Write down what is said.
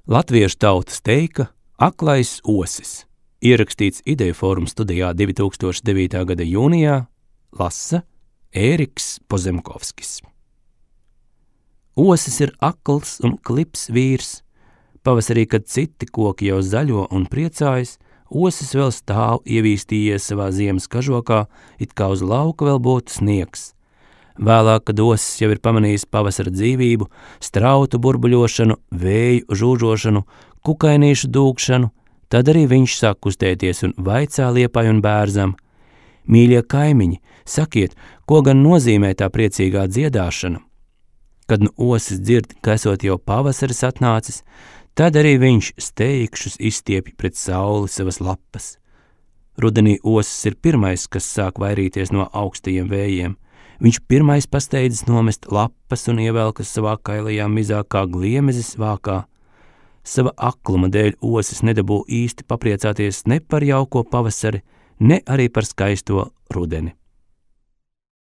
Latviešu tautas teika Aklais osis, ierakstīts Ideju fóruma studijā 2009. gada jūnijā, lasa Ēriks Pozemkovskis. Osis ir akls un klips vīrs. Pavasarī, kad citi koki jau zaļo un priecājas, osis vēl stāv ievīstījies savā ziemas kažokā, it kā uz lauka vēl būtu sniegs. Vēlāk, kad osis jau ir pamanījis pavasara dzīvību, strautu burbuļošanu, vēju žūžošanu, kukainīšu dūkšanu, tad arī viņš sāk kustēties un vaicā Liepai un Bērzam: Mīļie kaimiņi, sakiet, ko gan nozīmē tā priecīgā dziedāšana? Kad nu osis dzird, ka esot jau pavasaris atnācis, tad arī viņš steigšus izstiepj pret sauli savas lapas. Rudenī osis ir pirmais, kas sāk vairīties no augstajiem vējiem. Viņš pirmais pasteidzis nomest lapas un ievelkas savā kailajā mizā kā gliemezis vākā. Sava akluma dēļ osis nedabū īsti papriecāties ne par jauko pavasari, ne arī par skaisto rudeni.